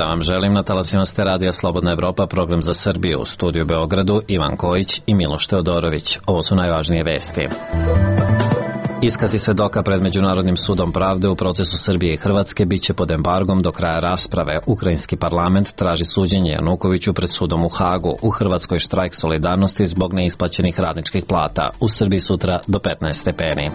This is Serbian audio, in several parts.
dan vam želim. Na talasima ste Radija Slobodna Evropa, program za Srbiju. U studiju Beogradu Ivan Kojić i Miloš Teodorović. Ovo su najvažnije vesti. Iskazi svedoka pred Međunarodnim sudom pravde u procesu Srbije i Hrvatske biće pod embargom do kraja rasprave. Ukrajinski parlament traži suđenje Janukoviću pred sudom u Hagu. U Hrvatskoj štrajk solidarnosti zbog neisplaćenih radničkih plata. U Srbiji sutra do 15 stepeni.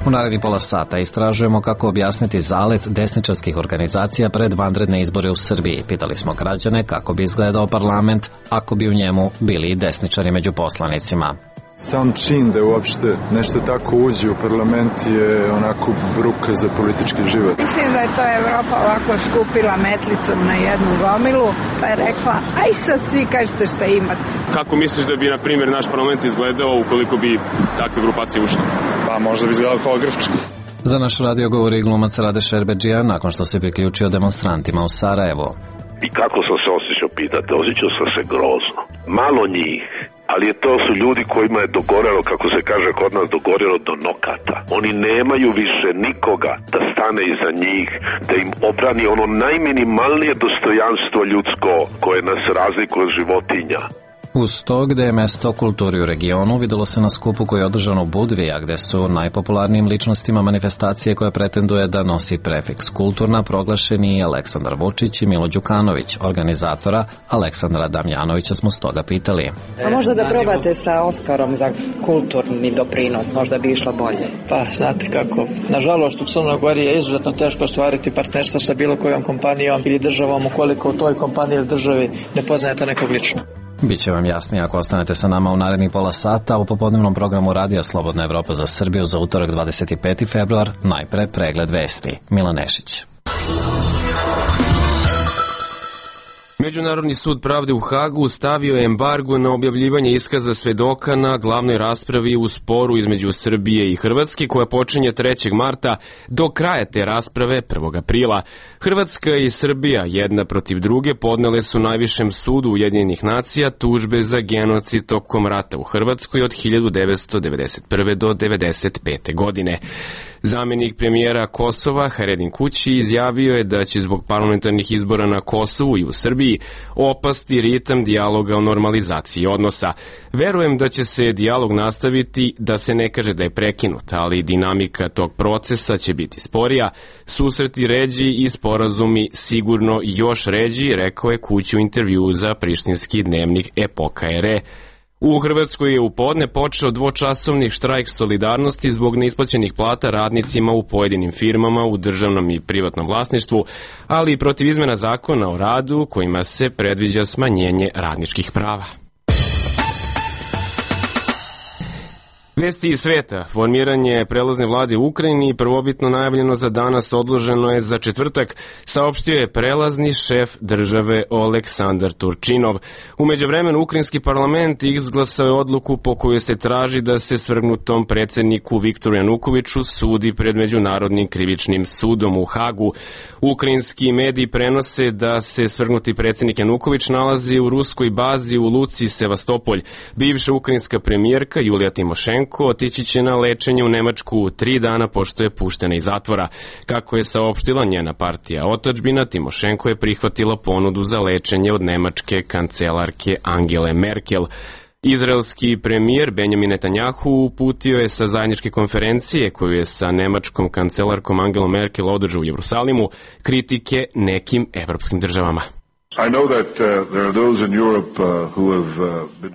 U narednih pola sata istražujemo kako objasniti zalet desničarskih organizacija pred vanredne izbore u Srbiji. Pitali smo građane kako bi izgledao parlament ako bi u njemu bili i desničari među poslanicima. Sam čin da uopšte nešto tako uđe u parlament je onako bruka za politički život. Mislim da je to Evropa ovako skupila metlicom na jednu gomilu, pa je rekla, aj sad svi kažete šta imate. Kako misliš da bi, na primjer, naš parlament izgledao ukoliko bi takve grupacije ušle? Pa možda bi izgledao kao Grčka. Za naš radio govori glumac Rade Šerbedžija nakon što se priključio demonstrantima u Sarajevu. I kako sam se osjećao, pitate? Osjećao sam se grozno. Malo njih, ali to su ljudi kojima je dogorelo, kako se kaže kod nas, dogorelo do nokata. Oni nemaju više nikoga da stane iza njih, da im obrani ono najminimalnije dostojanstvo ljudsko koje nas razlikuje od životinja. Uz to gde je mesto kulturi u regionu videlo se na skupu koji je održan u Budvija, gde su najpopularnijim ličnostima manifestacije koja pretenduje da nosi prefiks kulturna proglašeni Aleksandar Vučić i Milo Đukanović. Organizatora Aleksandra Damjanovića smo stoga pitali. A možda da probate sa Oskarom za kulturni doprinos, možda bi išlo bolje. Pa, znate kako, nažalost u Crnoj Gori je izuzetno teško ostvariti partnerstvo sa bilo kojom kompanijom ili državom ukoliko u toj kompaniji ili državi ne poznajete nekog lično. Biće vam jasnije ako ostanete sa nama u narednih pola sata. U popodnevnom programu Radija Slobodna Evropa za Srbiju za utorak 25. februar najpre pregled vesti. Milan Nešić. Međunarodni sud pravde u Hagu stavio je embargo na objavljivanje iskaza svedoka na glavnoj raspravi u sporu između Srbije i Hrvatske koja počinje 3. marta do kraja te rasprave 1. aprila. Hrvatska i Srbija jedna protiv druge podnele su najvišem sudu Ujedinjenih nacija tužbe za genocid tokom rata u Hrvatskoj od 1991. do 1995. godine. Zamjenik premijera Kosova, Haredin Kući, izjavio je da će zbog parlamentarnih izbora na Kosovu i u Srbiji opasti ritam dijaloga o normalizaciji odnosa. Verujem da će se dijalog nastaviti, da se ne kaže da je prekinut, ali dinamika tog procesa će biti sporija, susreti ređi i sporazumi sigurno još ređi, rekao je Kući u intervjuu za prištinski dnevnik Epoka RE. U Hrvatskoj je u podne počeo dvočasovni štrajk solidarnosti zbog neisplaćenih plata radnicima u pojedinim firmama u državnom i privatnom vlasništvu, ali i protiv izmena zakona o radu kojima se predviđa smanjenje radničkih prava. Vesti iz sveta. Formiranje prelazne vlade u Ukrajini, prvobitno najavljeno za danas, odloženo je za četvrtak, saopštio je prelazni šef države Oleksandar Turčinov. U međuvremenu ukrajinski parlament izglasao je odluku po kojoj se traži da se svrgnutom predsjedniku Viktoru Janukoviću sudi pred Međunarodnim krivičnim sudom u Hagu. Ukrajinski mediji prenose da se svrgnuti predsjednik Januković nalazi u ruskoj bazi u luci Sevastopolj. Bivša ukrajinska premijerka Julija Timošenko otići će na lečenje u Nemačku 3 dana pošto je puštena iz zatvora. Kako je saopštila njena partija Otadžbina, Timošenko je prihvatila ponudu za lečenje od nemačke kancelarke Angele Merkel. Izraelski premijer Benjamin Netanjahu uputio je sa zajedničke konferencije koju je sa nemačkom kancelarkom Angelom Merkel održao u Jerusalimu kritike nekim evropskim državama.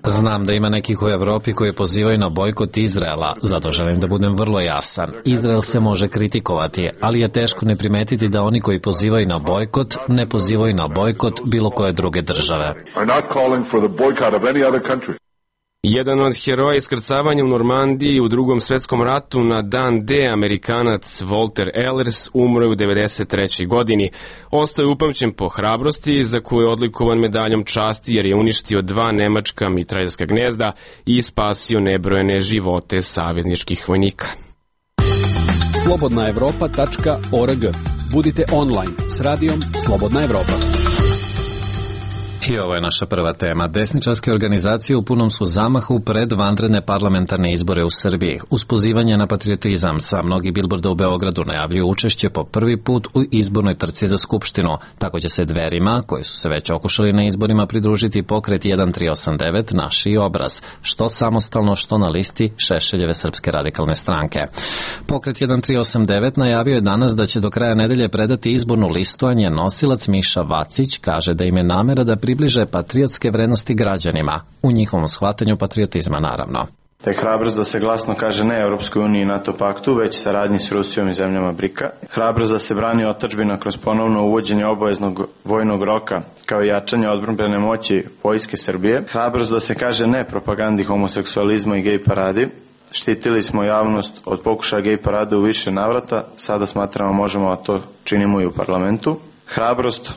Znam da ima nekih u Evropi koji pozivaju na bojkot Izraela, zato želim da budem vrlo jasan. Izrael se može kritikovati, ali je teško ne primetiti da oni koji pozivaju na bojkot ne pozivaju na bojkot bilo koje druge države. Jedan od heroja iskrcavanja u Normandiji u Drugom svetskom ratu na dan D, Amerikanac Walter Ehlers, umro je u 93. godini. Ostao je upamćen po hrabrosti za koju je odlikovan medaljom časti jer je uništio 2 nemačka mitraljska gnezda i spasio nebrojene živote savezničkih vojnika. slobodnaevropa.org. Budite online s radijom Slobodna Evropa. I ovo je naša prva tema. Desničarske organizacije u punom su zamahu pred vanredne parlamentarne izbore u Srbiji. Uz pozivanje na patriotizam sa mnogi bilborda u Beogradu najavljuju učešće po prvi put u izbornoj trci za Skupštinu. Tako će se Dverima, koji su se već okušali na izborima, pridružiti pokret 1389 Naši obraz, što samostalno, što na listi Šešeljeve Srpske radikalne stranke. Pokret 1389 najavio je danas da će do kraja nedelje predati izbornu listu, a njen nosilac Miša Vacić kaže da im je namera da približe patriotske vrednosti građanima, u njihovom shvatanju patriotizma naravno. Da je hrabrost da se glasno kaže ne Europskoj uniji i NATO paktu, već saradnji s Rusijom i zemljama BRIK-a. Hrabrost da se brani otadžbina kroz ponovno uvođenje obaveznog vojnog roka, kao i jačanje odbrambene moći Vojske Srbije. Hrabrost da se kaže ne propagandi homoseksualizma i gej paradi. Štitili smo javnost od pokušaja gej parade u više navrata, sada smatramo možemo, a to činimo i u parlamentu. Hrabrost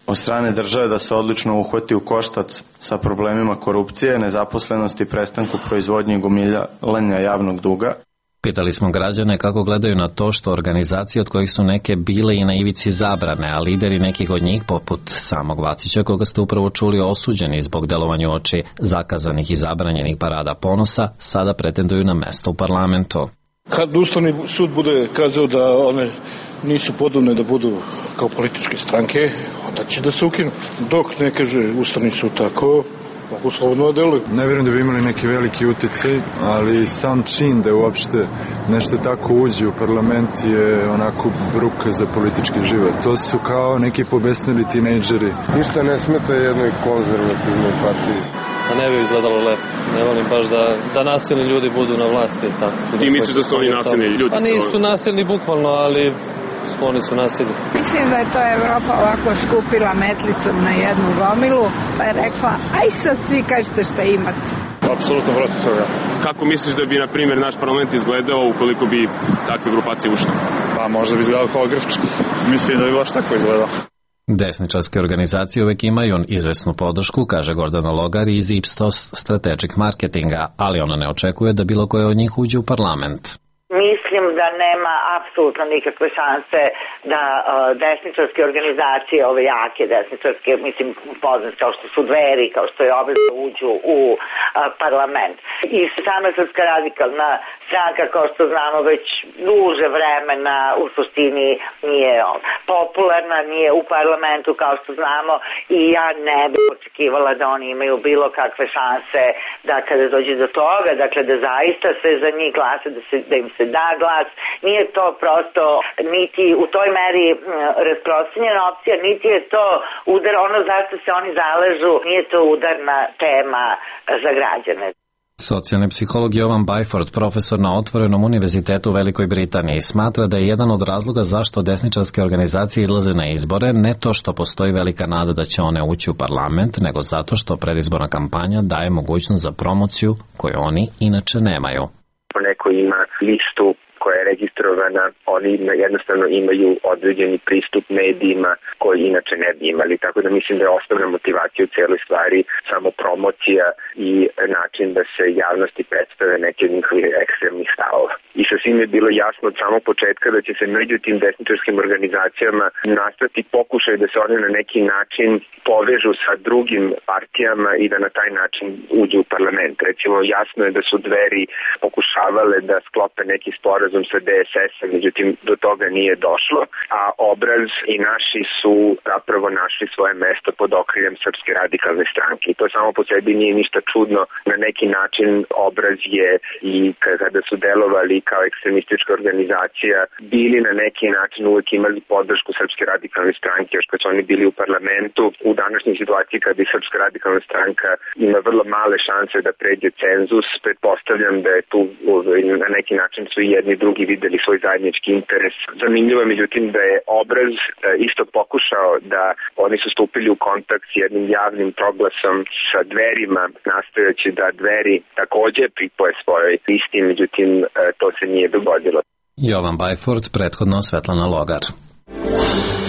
od strane države da se odlično uhvati u koštac sa problemima korupcije, nezaposlenosti, prestanku proizvodnje i gomilanja javnog duga. Pitali smo građane kako gledaju na to što organizacije od kojih su neke bile i na ivici zabrane, a lideri nekih od njih, poput samog Vacića, koga ste upravo čuli, osuđeni zbog delovanja oči zakazanih i zabranjenih parada ponosa, sada pretenduju na mesto u parlamentu. Kad Ustavni sud bude kazao da one nisu podobne da budu kao političke stranke, onda će da se ukinu. Dok ne kaže Ustavni sud tako, mogu slobodno da deluju. Ne vjerujem da bi imali neki veliki uticaj, ali sam čin da uopšte nešto tako uđe u parlament je onako bruka za politički život. To su kao neki pobesnili tinejdžeri. Ništa ne smeta jednoj konzervativnoj partiji. A ne bi izgledalo lepo. Ne volim baš da nasilni ljudi budu na vlasti ili tako. Ti misliš da su oni nasilni ljudi? Pa nisu nasilni bukvalno, ali oni su nasilni. Mislim da je to Evropa ovako skupila metlicom na jednu gomilu, pa je rekla, aj sad svi kažete šta imate. Apsolutno protiv toga. Kako misliš da bi, na primjer, naš parlament izgledao ukoliko bi takve grupacije ušle? Pa možda bi izgledao kao grčki. Mislim da bi baš tako izgledao. Desničarske organizacije uvek imaju izvesnu podršku, kaže Gordana Logar iz Ipsos Strategic Marketinga, ali ona ne očekuje da bilo koje od njih uđe u parlament. Mislim da nema apsolutno nikakve šanse da desničarske organizacije, ove jake desničarske, mislim poznate kao što su Dveri, kao što je Obraz, uđu u parlament. I sama Srpska radikalna stranka, kao što znamo, već duže vremena u suštini nije popularna, nije u parlamentu kao što znamo, i ja ne bih očekivala da oni imaju bilo kakve šanse da kada dođe do toga, dakle da zaista se za njih glasa, da im se da glas. Nije to prosto niti u toj meri rasprostranjena opcija, niti je to udar, ono zašto se oni zaležu, nije to udarna tema za građane. Socijalni psiholog Jovan Byford, profesor na Otvorenom univerzitetu u Velikoj Britaniji, smatra da je jedan od razloga zašto desničarske organizacije izlaze na izbore ne to što postoji velika nada da će one ući u parlament, nego zato što predizborna kampanja daje mogućnost za promociju koju oni inače nemaju. Neko ima listu koja je registrovana, oni jednostavno imaju određeni pristup medijima koji inače ne bi imali. Tako da mislim da je osnovna motivacija u cijeloj stvari samo promocija i način da se javnosti predstave neke od njihovih ekstremnih stavova. I sasvim je bilo jasno od samog početka da će se među tim desničarskim organizacijama nastati pokušaj da se one na neki način povežu sa drugim partijama i da na taj način uđu u parlament. Recimo, jasno je da su Dveri pokušavale da sklope neki sporazum sa DSS-a, međutim do toga nije došlo, a Obraz i Naši su zapravo našli svoje mesto pod okriljem Srpske radikalne stranke. I to samo po sebi nije ništa čudno. Na neki način Obraz je i kada su delovali kao ekstremistička organizacija bili na neki način uvijek imali podršku Srpske radikalne stranke, još kad su oni bili u parlamentu. U današnjoj situaciji kada i Srpska radikalna stranka ima vrlo male šanse da pređe cenzus, pretpostavljam da je tu na neki način su i jedni drugi videli svoj zajednički interes. Zanimljivo je međutim da je Obraz isto pokušao da oni su stupili u kontakt s jednim javnim proglasom sa Dverima, nastojeći da Dveri takođe pripoje svojoj listi, međutim to se nije dogodilo. Jovan Byford, prethodno Svetlana Logar.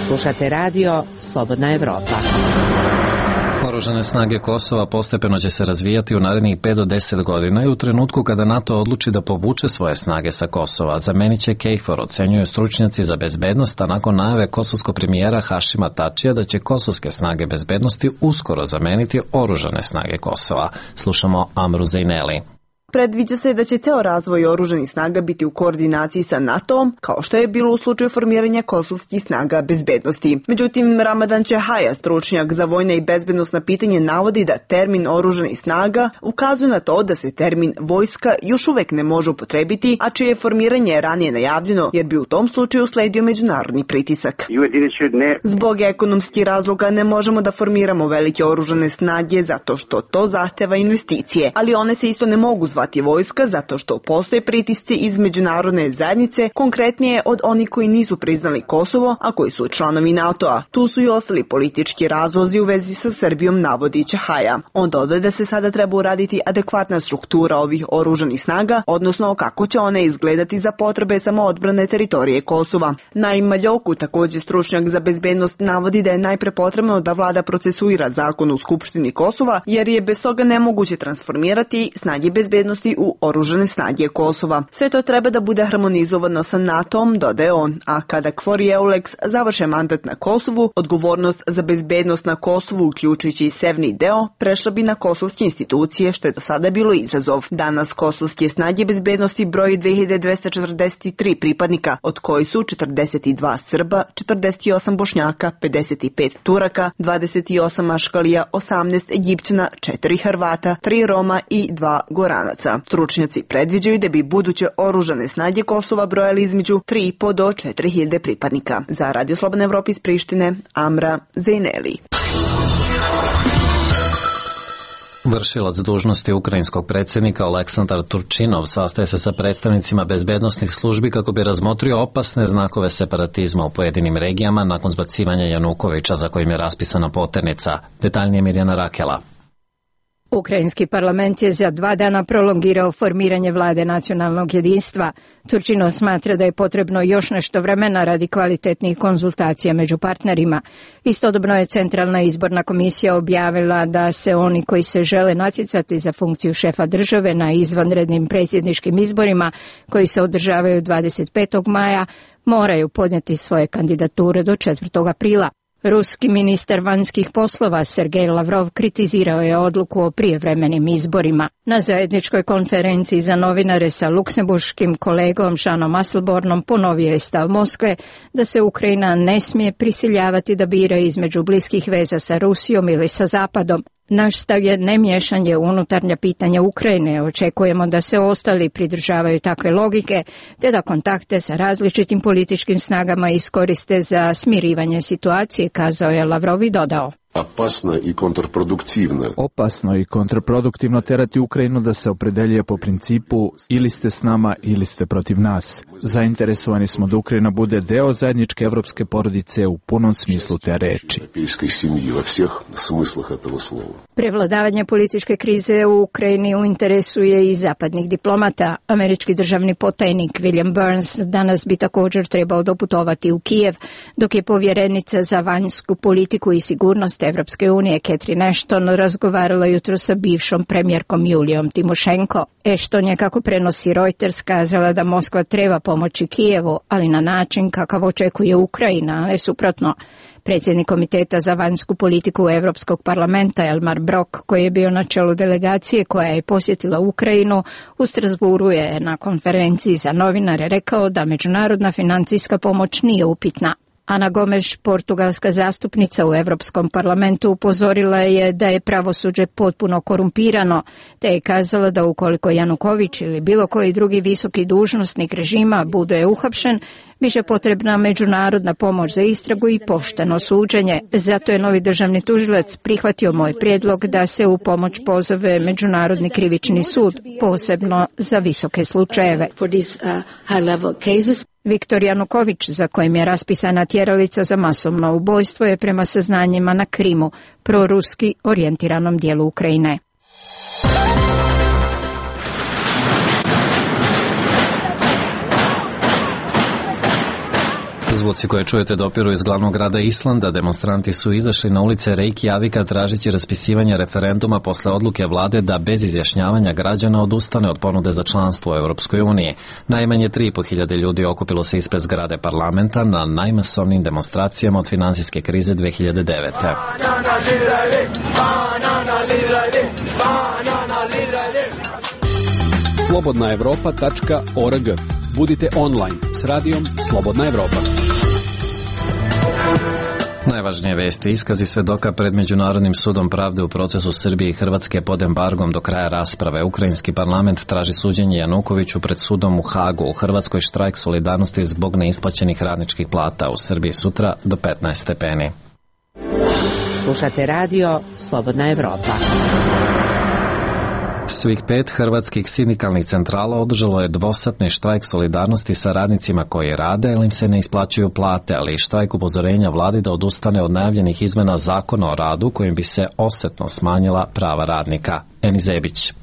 Slušate radio Slobodna Evropa. Oružane snage Kosova postepeno će se razvijati u narednih 5 do 10 godina i u trenutku kada NATO odluči da povuče svoje snage sa Kosova, zamenit će KFOR, ocenjuju stručnjaci za bezbednost, a nakon najave kosovskog premijera Hašima Tačija da će kosovske snage bezbednosti uskoro zameniti oružane snage Kosova. Slušamo Amru Zejneli. Predviđa se da će ceo razvoj oružanih snaga biti u koordinaciji sa NATO-om, kao što je bilo u slučaju formiranja kosovskih snaga bezbednosti. Međutim, Ramadan Čehaja, stručnjak za vojna i bezbednosna pitanje, navodi da termin oružanih snaga ukazuje na to da se termin vojska još uvek ne može upotrebiti, a čije formiranje je ranije najavljeno, jer bi u tom slučaju sledio međunarodni pritisak. Zbog ekonomskih razloga ne možemo da formiramo velike oružane snage zato što to zahteva investicije, ali one se isto ne mogu zvati vojska zato što postoje pritisci iz međunarodne zajednice, konkretnije od onih koji nisu priznali Kosovo, a koji su članovi NATO-a. Tu su i ostali politički razlozi u vezi sa Srbijom, navodi Čehaja. On dodaje da se sada treba uraditi adekvatna struktura ovih oružanih snaga, odnosno kako će one izgledati za potrebe samoodbrane teritorije Kosova. Naim Maljoku, također stručnjak za bezbednost, navodi da je najpre potrebno da vlada procesuira zakon u Skupštini Kosova, jer je bez toga nemoguće transformirati snage bezbednosti u oružane snage Kosova. Sve to treba da bude harmonizovano sa NATO-om, dodaje on, a kada KFOR i EULEX završe mandat na Kosovu, odgovornost za bezbednost na Kosovu, uključujući i severni deo, prešla bi na kosovske institucije, što je do sada bilo izazov. Danas kosovske snage bezbednosti broji 2243 pripadnika, od koji su 42 Srba, 48 Bošnjaka, 55 Turaka, 28 Maškalija, 18 Egipćana, 4 Hrvata, 3 Roma i 2 Goranaca. Stručnjaci predviđaju da bi buduće oružane snage Kosova brojali između 3,5 do 4.000 pripadnika. Za Radio Slobodna Evropa iz Prištine, Amra Zejneli. Vršilac dužnosti ukrajinskog predsjednika Oleksandar Turčinov sastaje se sa predstavnicima bezbednosnih službi kako bi razmotrio opasne znakove separatizma u pojedinim regijama nakon zbacivanja Janukovića za kojim je raspisana poternica. Detaljnije Mirjana Rakela. Ukrajinski parlament je za 2 dana prolongirao formiranje vlade nacionalnog jedinstva. Turčinov smatra da je potrebno još nešto vremena radi kvalitetnih konzultacija među partnerima. Istodobno je Centralna izborna komisija objavila da se oni koji se žele natjecati za funkciju šefa države na izvanrednim predsjedničkim izborima koji se održavaju 25. maja moraju podnijeti svoje kandidature do 4. aprila. Ruski ministar vanjskih poslova Sergej Lavrov kritizirao je odluku o prijevremenim izborima. Na zajedničkoj konferenciji za novinare sa luksemburškim kolegom Žanom Asselbornom ponovio je stav Moskve da se Ukrajina ne smije prisiljavati da bira između bliskih veza sa Rusijom ili sa Zapadom. Naš stav je nemiješanje u unutarnja pitanja Ukrajine. Očekujemo da se ostali pridržavaju takve logike, te da kontakte sa različitim političkim snagama iskoriste za smirivanje situacije, kazao je Lavrov i dodao. Opasno i kontraproduktivno terati Ukrajinu da se opredeljuje po principu ili ste s nama ili ste protiv nas. Zainteresovani smo da Ukrajina bude deo zajedničke evropske porodice u punom smislu te reči. Prevladavanje političke krize u Ukrajini u interesu je i zapadnih diplomata. Američki državni potajnik William Burns danas bi također trebao doputovati u Kijev, dok je povjerenica za vanjsku politiku i sigurnost Evropske unije Catherine Ashton razgovarala jutro sa bivšom premijerkom Julijom Timošenko. Ashton je, kako prenosi Reuters, kazala da Moskva treba pomoći Kijevu, ali na način kakav očekuje Ukrajina, a ne suprotno. Predsjednik Komiteta za vanjsku politiku Europskog parlamenta Elmar Brok, koji je bio na čelu delegacije koja je posjetila Ukrajinu, u Strasburu je na konferenciji za novinare rekao da međunarodna financijska pomoć nije upitna. Ana Gomes, portugalska zastupnica u Europskom parlamentu, upozorila je da je pravosuđe potpuno korumpirano, te je kazala da ukoliko Januković ili bilo koji drugi visoki dužnosnik režima bude uhapšen, biće potrebna međunarodna pomoć za istragu i pošteno suđenje. Zato je novi državni tužilac prihvatio moj prijedlog da se u pomoć pozove Međunarodni krivični sud, posebno za visoke slučajeve. Viktor Januković, za kojim je raspisana tjeralica za masovno ubojstvo, je prema saznanjima na Krimu, proruski orijentiranom dijelu Ukrajine. Zvuci koje čujete dopiru iz glavnog grada Islanda. Demonstranti su izašli na ulice Reykjavika tražeći raspisivanje referenduma posle odluke vlade da bez izjašnjavanja građana odustane od ponude za članstvo u Europskoj uniji. Najmanje 3.500 ljudi okupilo se ispred zgrade parlamenta na najmasovnijim demonstracijama od finansijske krize 2009. slobodnaevropa.org. Budite online s radijom Slobodna Evropa. Najvažnije vesti: iskazi svedoka pred Međunarodnim sudom pravde u procesu Srbije i Hrvatske pod embargom do kraja rasprave. Ukrajinski parlament traži suđenje Janukoviću pred sudom u Hagu. U Hrvatskoj štrajk solidarnosti zbog neisplaćenih radničkih plata. U Srbiji sutra do 15 stepeni. Slušate radio Slobodna Evropa. Svih 5 hrvatskih sindikalnih centrala održalo je dvosatni štrajk solidarnosti sa radnicima koji rade, jer im se ne isplaćuju plate, ali i štrajk upozorenja vladi da odustane od najavljenih izmena zakona o radu kojim bi se osetno smanjila prava radnika. Eni Zebić.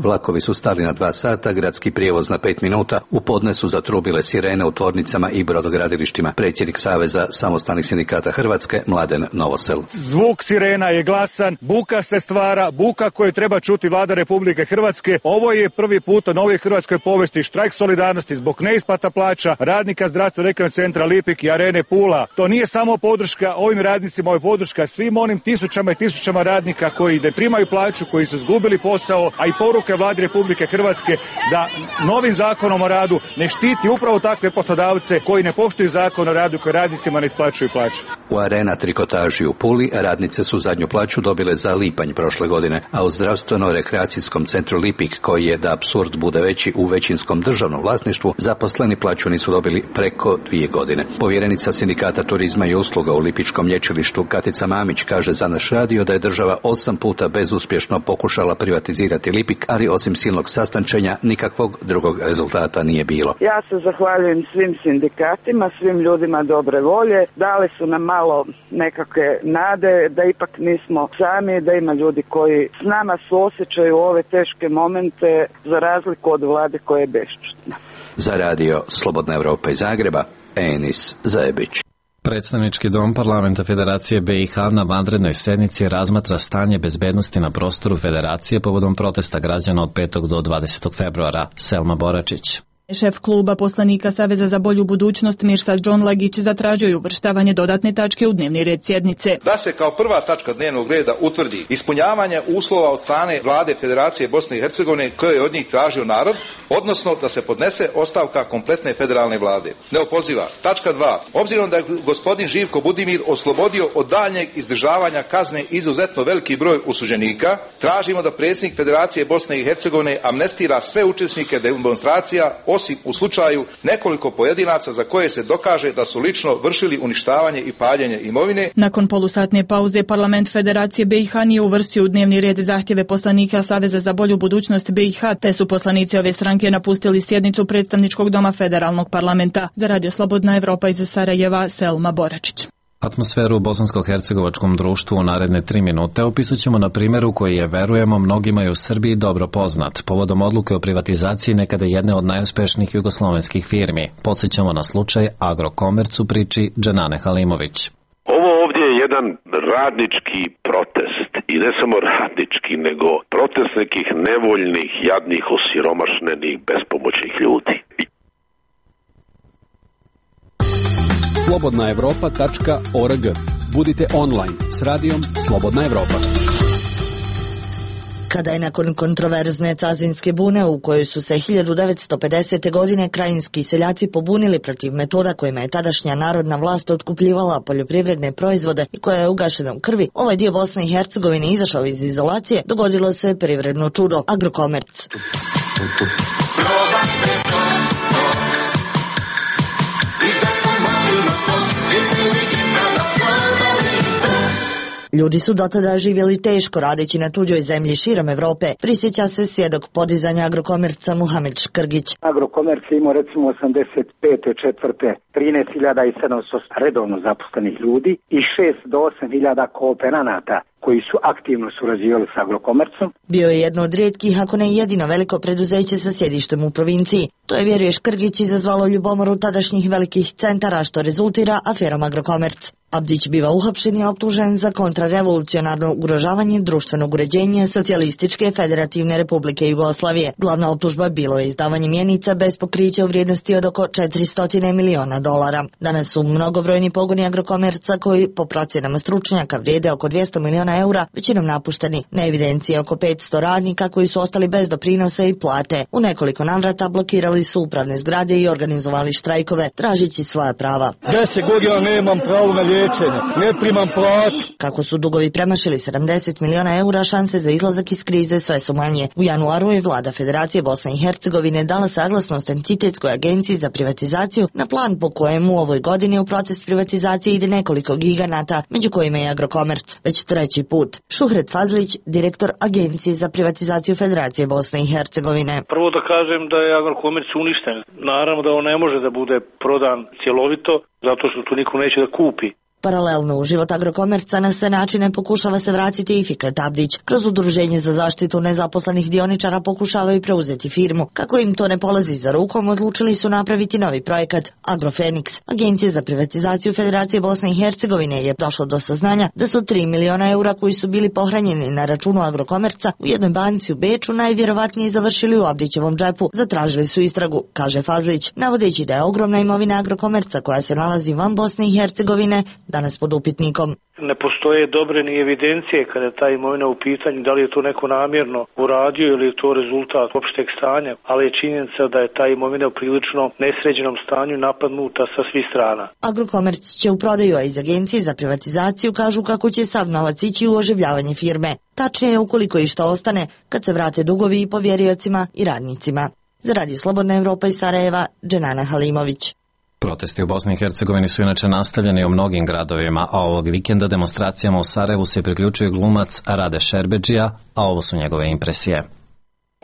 Vlakovi su stali na 2 sata, gradski prijevoz na 5 minuta, u podne su zatrubile sirene u tvornicama i brodogradilištima. Predsjednik Saveza samostalnih sindikata Hrvatske, Mladen Novosel. Zvuk sirena je glasan, buka se stvara, buka koju treba čuti vlada Republike Hrvatske. Ovo je prvi put u novoj hrvatskoj povesti štrajk solidarnosti zbog neisplata plaća radnika zdravstveno-rekreativnog centra Lipik i Arene Pula. To nije samo podrška ovim radnicima, ovo je podrška svim onim tisućama i tisućama radnika koji ne primaju plaću, koji su izgubili posao, a i poruka vladi Republike Hrvatske da novim zakonom o radu ne štiti upravo takve poslodavce koji ne poštuju zakon o radu, koji radnicima ne isplaćuju plaću. U Arena trikotaži u Puli radnice su zadnju plaću dobile za lipanj prošle godine, a u zdravstveno-rekreacijskom centru Lipik, koji je, da apsurd bude veći, u većinskom državnom vlasništvu, zaposleni plaću nisu dobili preko 2 godine. Povjerenica sindikata turizma i usluga u Lipičkom lječilištu Katica Mamić kaže za naš radio da je država 8 puta bezuspješno pokušala privatizirati Lipik, ali osim silnog sastančenja nikakvog drugog rezultata nije bilo. Ja se zahvaljujem svim sindikatima, svim ljudima dobre volje. Dali su nam malo nekakve nade da ipak nismo sami, da ima ljudi koji s nama suosjećaju ove teške momente za razliku od vlade koja je bešćutna. Za radio Slobodna Evropa iz Zagreba, Enis Zajebić. Predstavnički dom Parlamenta Federacije BiH na vanrednoj sednici razmatra stanje bezbednosti na prostoru Federacije povodom protesta građana od 5. do 20. februara. Selma Boračić. Šef kluba poslanika Saveza za bolju budućnost Mirsad Džonlagić zatražio je uvrštavanje dodatne tačke u dnevni red sjednice. Da se kao prva tačka dnevnog reda utvrdi ispunjavanje uslova od strane vlade Federacije Bosne i Hercegovine koje je od njih tražio narod, odnosno da se podnese ostavka kompletne federalne vlade. Neopoziva. Tačka 2. Obzirom da je gospodin Živko Budimir oslobodio od daljnjeg izdržavanja kazne izuzetno veliki broj osuđenika, tražimo da predsjednik Federacije Bosne i Hercegovine amnestira sve učesnike demonstracija, osim u slučaju nekoliko pojedinaca za koje se dokaže da su lično vršili uništavanje i paljenje imovine. Nakon polusatne pauze, Parlament Federacije BiH nije uvrstio u dnevni red zahtjeve poslanika Saveza za bolju budućnost BiH, te su poslanici ove stranke napustili sjednicu predstavničkog doma federalnog parlamenta. Za radio Slobodna Evropa iz Sarajeva, Selma Boračić. Atmosferu u bosansko-hercegovačkom društvu u naredne 3 minute opisat ćemo na primjeru koji je, verujemo, mnogima i u Srbiji dobro poznat, povodom odluke o privatizaciji nekada jedne od najuspešnijih jugoslovenskih firmi. Podsjećamo na slučaj Agrokomerc u priči Dženane Halimović. Ovo ovdje je jedan radnički protest i ne samo radnički, nego protest nekih nevoljnih, jadnih, osiromašenih, bespomoćnih ljudi. slobodnaevropa.org. Budite online s radijom Slobodna Evropa. Kada je nakon kontroverzne cazinske bune u kojoj su se 1950. godine krajinski seljaci pobunili protiv metoda kojima je tadašnja narodna vlast otkupljivala poljoprivredne proizvode i koja je ugašena u krvi, ovaj dio Bosne i Hercegovine izašao iz izolacije, dogodilo se privredno čudo, Agrokomerc. Ljudi su dotada živjeli teško radeći na tuđoj zemlji širom Evrope, prisjeća se svjedok podizanja Agrokomerca Muhamed Škrgić. Agrokomerc je imao recimo 85. četvrte 13.700 redovno zaposlenih ljudi i 6 do 8.000 kooperanata koji su aktivno surađivali sa Agrokomercom. Bio je jedno od rijetkih, ako ne jedino veliko preduzeće sa sjedištem u provinciji. To je, vjeruje Škrgić, izazvalo ljubomoru tadašnjih velikih centara, što rezultira aferom Agrokomerc. Abdić biva uhapšen i optužen za kontrarevolucionarno ugrožavanje društvenog uređenja Socijalističke federativne republike Jugoslavije. Glavna optužba bilo je izdavanje mjenica bez pokrića u vrijednosti od oko $400 miliona. Danas su mnogobrojni pogoni Agrokomerca koji, po procjenama stručnjaka, vrijede oko €200 miliona, većinom napušteni. Na evidenciji je oko 500 radnika koji su ostali bez doprinosa i plate. U nekoliko navrata blokirali su upravne zgrade i organizovali štrajkove, tražići svoja prava. 10 godina nemam pravo na liječenje, ne primam platu. Kako su dugovi premašili €70 miliona, šanse za izlazak iz krize sve su manje. U januaru je vlada Federacije Bosne i Hercegovine dala saglasnost Entitetskoj agenciji za privatizaciju na plan po kojem u ovoj godini u proces privatizacije ide nekoliko giganata, među kojima je Agrokomerc, već treći put. Šuhret Fazlić, direktor Agencije za privatizaciju Federacije Bosne i Hercegovine. Prvo da kažem da je Agrokomerc uništen. Naravno da on ne može da bude prodan cjelovito, zato što tu niko neće da kupi. Paralelno u život Agrokomerca na sve načine pokušava se vratiti i Fikret Abdić. Kroz Udruženje za zaštitu nezaposlenih dioničara pokušavaju preuzeti firmu. Kako im to ne polazi za rukom, odlučili su napraviti novi projekat Agrofeniks. Agencija za privatizaciju Federacije Bosne i Hercegovine je došlo do saznanja da su €3 miliona koji su bili pohranjeni na računu Agrokomerca u jednoj banci u Beču najvjerovatnije završili u Abdićevom džepu. Zatražili su istragu, kaže Fazlić, navodeći da je ogromna imovina Agrokomerca koja se nalazi van Bosne i Hercegovine danas pod upitnikom. Ne postoje dobre ni evidencije kada je ta imovina u pitanju, da li je to neko namjerno uradio ili je to rezultat opšteg stanja, ali je činjenica da je ta imovina u prilično nesređenom stanju napadnuta sa svih strana. Agrokomerc će u prodaju, a iz Agencije za privatizaciju kažu kako će sav novac ići u oživljavanje firme. Tačnije, ukoliko i što ostane, kad se vrate dugovi i povjeriocima i radnicima. Za Radio Slobodna Evropa iz Sarajeva, Dženana Halimović. Protesti u Bosni i Hercegovini su inače nastavljeni u mnogim gradovima, a ovog vikenda demonstracijama u Sarajevu se priključuje glumac Rade Šerbedžija, a ovo su njegove impresije.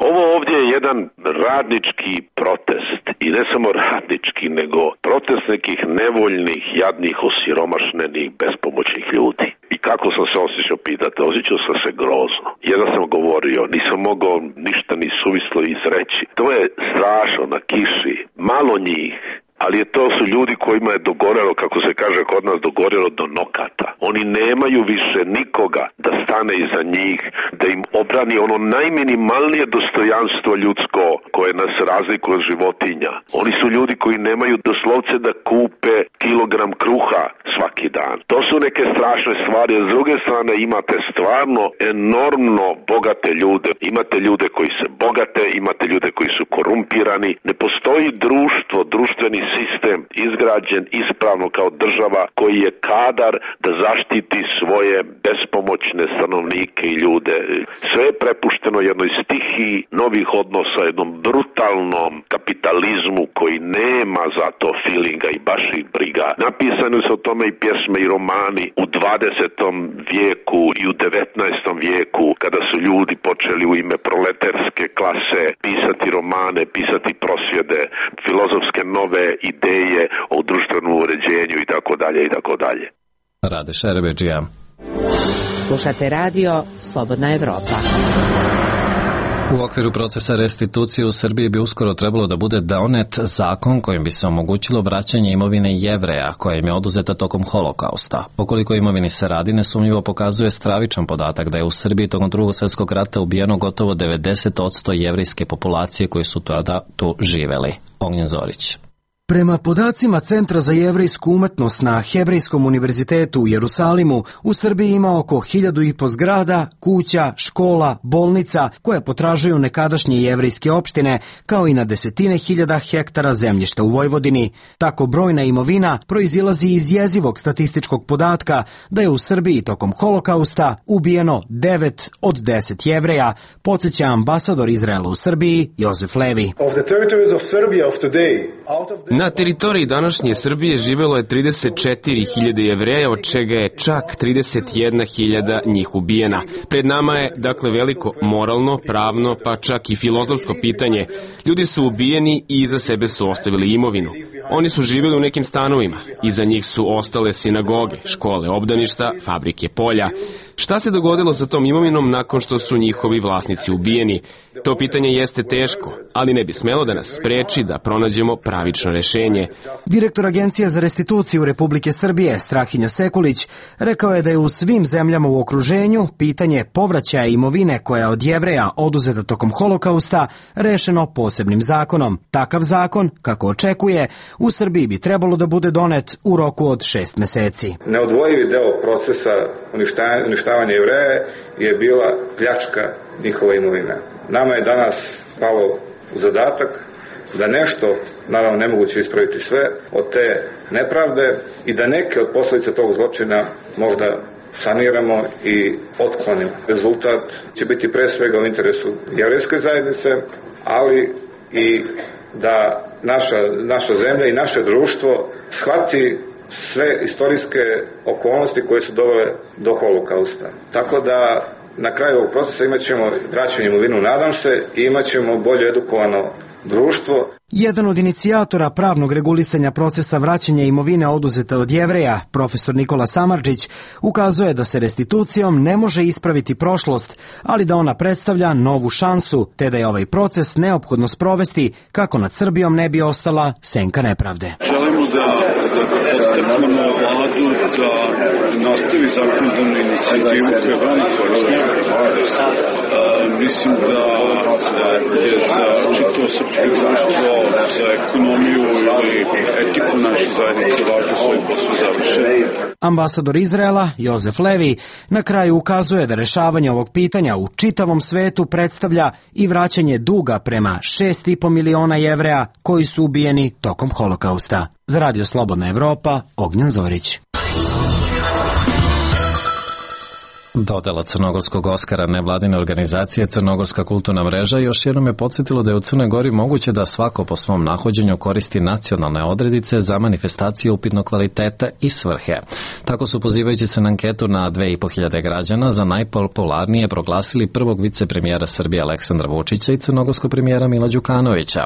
Ovo ovdje je jedan radnički protest i ne samo radnički, nego protest nekih nevoljnih, jadnih, osiromašnenih, bespomoćnih ljudi. I kako sam se osjećao, pitate? Osjećao sam se grozno. Jedno sam govorio, nisam mogao ništa ni suvislo izreći. To je strašno na kiši, malo njih. Ali to su ljudi kojima je dogorelo, kako se kaže kod nas, dogorelo do nokata. Oni nemaju više nikoga da stane iza njih, da im obrani ono najminimalnije dostojanstvo ljudsko koje nas razlikuje od životinja. Oni su ljudi koji nemaju doslovce da kupe kilogram kruha svaki dan. To su neke strašne stvari, a s druge strane imate stvarno enormno bogate ljude. Imate ljude koji se bogate, imate ljude koji su korumpirani. Ne postoji društvo, društveni sistem izgrađen ispravno kao država koji je kadar da zaštiti svoje bespomoćne stanovnike i ljude. Sve je prepušteno jednoj stihiji novih odnosa, jednom brutalnom kapitalizmu koji nema za to feelinga i baš ih briga. Napisane su o tome i pjesme i romani u 20. vijeku i u 19. vijeku kada su ljudi počeli u ime proletarske klase pisati romane, pisati prosvjede, filozofske nove ideje o društvenom uređenju i tako dalje i tako dalje. Rade Šerbedžija. Slušate radio Slobodna Evropa. U okviru procesa restitucije u Srbiji bi uskoro trebalo da bude donet zakon kojim bi se omogućilo vraćanje imovine Jevreja koja im je oduzeta tokom holokausta. Okoliko imovini se radi, nesumnjivo pokazuje stravičan podatak da je u Srbiji tokom Drugog svjetskog rata ubijeno gotovo 90% jevrejske populacije koji su tada tu živeli. Ognjen Zorić. Prema podacima Centra za jevrejsku umetnost na Hebrejskom univerzitetu u Jerusalimu, u Srbiji ima oko 1500 zgrada, kuća, škola, bolnica koje potražuju nekadašnje jevrejske opštine, kao i na desetine hiljada hektara zemljišta u Vojvodini. Tako brojna imovina proizilazi iz jezivog statističkog podatka da je u Srbiji tokom holokausta ubijeno 9 od 10 Jevreja, podsjeća ambasador Izraela u Srbiji Jozef Levi. Na teritoriji današnje Srbije živelo je 34.000 Jevreja, od čega je čak 31.000 njih ubijena. Pred nama je, dakle, veliko moralno, pravno, pa čak i filozofsko pitanje. Ljudi su ubijeni i iza sebe su ostavili imovinu. Oni su živjeli u nekim stanovima. Iza njih su ostale sinagoge, škole, obdaništa, fabrike, polja. Šta se dogodilo sa tom imovinom nakon što su njihovi vlasnici ubijeni? To pitanje jeste teško, ali ne bi smelo da nas spreči da pronađemo pravično rešenje. Direktor Agencije za restituciju Republike Srbije, Strahinja Sekulić, rekao je da je u svim zemljama u okruženju pitanje povraćaja imovine koja je od Jevreja oduzeta tokom Holokausta rešeno posebnim zakonom. Takav zakon, kako očekuje, u Srbiji bi trebalo da bude donet u roku od 6 meseci. Neodvojivi deo procesa uništavanja Jevreja je bila pljačka njihova imovina. Nama je danas palo u zadatak da nešto, naravno nemoguće ispraviti sve, od te nepravde i da neke od posljedica tog zločina možda saniramo i otklonimo. Rezultat će biti pre svega u interesu jevrejske zajednice, ali i da naša zemlja i naše društvo shvati sve istorijske okolnosti koje su dovele do Holokausta. Tako da na kraju ovog procesa imat ćemo vraćanje imovinu, nadam se, i imat ćemo bolje edukovano društvo. Jedan od inicijatora pravnog regulisanja procesa vraćanja imovine oduzete od Jevreja, profesor Nikola Samardžić, ukazuje da se restitucijom ne može ispraviti prošlost, ali da ona predstavlja novu šansu, te da je ovaj proces neophodno sprovesti kako nad Srbijom ne bi ostala senka nepravde. Želimo da podstaknemo vladu da nastavi zakonodavnu inicijativu koja je veoma korisna. Mislim da je za čitavo srpsko društvo, za ekonomiju ili etiku naše zajednice važno svoj posao završen. Ambasador Izraela, Jozef Levi, na kraju ukazuje da rešavanje ovog pitanja u čitavom svetu predstavlja i vraćanje duga prema 6,5 miliona Jevreja koji su ubijeni tokom Holokausta. Za Radio Slobodna Evropa, Ognjan Zorić. Dodela crnogorskog Oskara nevladine organizacije Crnogorska kulturna mreža još jednom je podsjetilo da je u Crnoj Gori moguće da svako po svom nahođenju koristi nacionalne odredice za manifestacije upitnog kvaliteta i svrhe. Tako su, pozivajući se na anketu na 2.500 građana, za najpopularnije proglasili prvog vicepremijera Srbije Aleksandra Vučića i crnogorskog premijera Mila Đukanovića.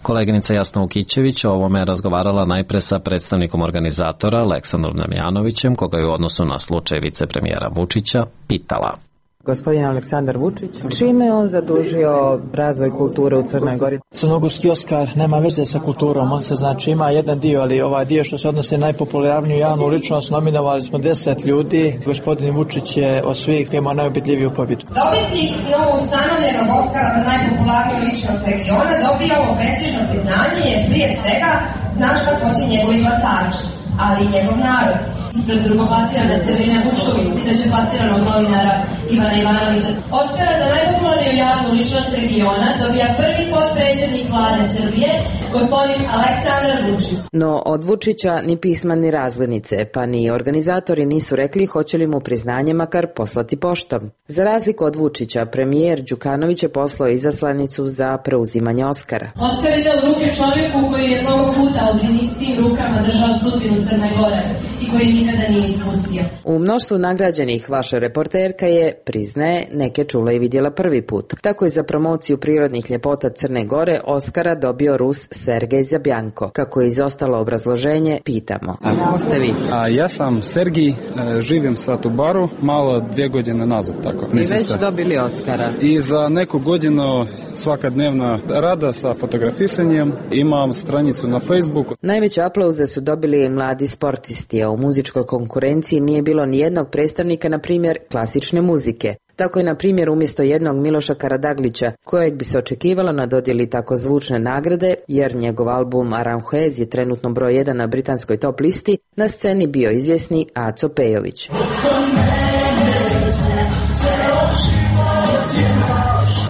Koleginica Jasna Vukićević o ovome je razgovarala najpre sa predstavnikom organizatora Aleksandrom Damjanovićem, koga je u odnosu na slučaj vicepremijera Vučića pitala. Gospodin Aleksandar Vučić, čime je on zadužio razvoj kulture u Crnoj Gori? Crnogorski Oskar nema veze sa kulturom, on se znači ima jedan dio, ali ovaj dio što se odnosi na najpopularniju javnu ličnost, nominovali smo 10 ljudi. Gospodin Vučić je od svih imao najubedljiviju pobjedu. Dobitnik novoustanovljenog Oskara za najpopularniju ličnost regiona dobija ovo prestižno priznanje jer prije svega znaš kako hoće njegovi glasači, ali i njegov narod. Ispred drugoplasirane Severine Vučković, treće plasiranog novinara Ivana Ivanovića. Oskara za najpopularniju javnu ličnost regiona dobija prvi potpredsjednik vlade Srbije, gospodin Aleksandar Vučić. No od Vučića ni pisma ni razglednice, pa ni organizatori nisu rekli hoće li mu priznanje makar poslati poštom. Za razliku od Vučića, premijer Đukanović je poslao izaslanicu za preuzimanje Oskara. Oskar ide u ruke čovjeku koji je mnogo puta u istim rukama držao sudbinu Crne Gore i koji nikada nije ispustio. U mnoštvu nagrađenih vaša reporterka je, priznaje, neke čula i vidjela prvi put. Tako je za promociju prirodnih ljepota Crne Gore Oskara dobio Rus Sergej Zabjanko. Kako je izostalo obrazloženje, pitamo. A ko ste vi? Ja sam Sergij, živim sad u Baru, malo 2 godine nazad. Tako, I već dobili Oskara. I za neku godinu svakadnevna rada sa fotografisanjem, imam stranicu na Facebooku. Najveće aplauze su dobili mladi sportisti, a u muzičkoj konkurenciji nije bilo ni jednog predstavnika, na primjer, klasične muzike. Tako je, na primjer, umjesto jednog Miloša Karadaglića, kojeg bi se očekivalo na dodjeli tako zvučne nagrade, jer njegov album Aranjuez je trenutno broj 1 na britanskoj top listi, na sceni bio izvjesni Aco Pejović.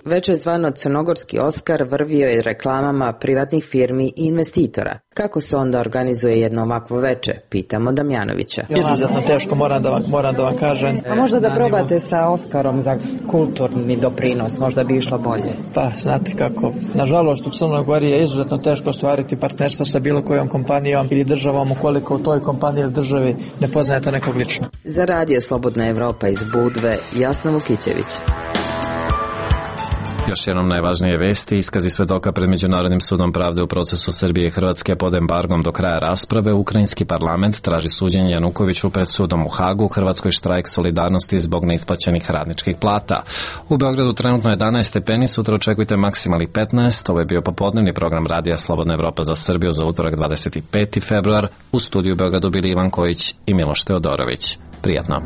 veče zvano crnogorski Oskar, vrvio je reklamama privatnih firmi i investitora. Kako se onda organizuje jedno ovakvo veče? Pitamo Damjanovića. Izuzetno teško, moram da vam kažem. A možda da probate sa Oskarom za kulturni doprinos, možda bi išlo bolje. Pa, znate kako, nažalost u Crnoj Gori je izuzetno teško ostvariti partnerstvo sa bilo kojom kompanijom ili državom ukoliko u toj kompaniji ili državi ne poznajete nekog lično. Za radio Slobodna Evropa iz Budve, Jasna Vukićević. Još jednom najvažnije vesti, iskazi svedoka pred Međunarodnim sudom pravde u procesu Srbije i Hrvatske pod embargom do kraja rasprave. Ukrajinski parlament traži suđenje Janukoviću pred sudom u Hagu, Hrvatskoj štrajk solidarnosti zbog neisplaćenih radničkih plata. U Beogradu trenutno 11 stepeni, sutra očekujte maksimalnih 15. Ovo je bio popodnevni program radija Slobodna Evropa za Srbiju za utorak 25. februar. U studiju u Beogradu bili Ivan Kojić i Miloš Teodorović. Prijatno.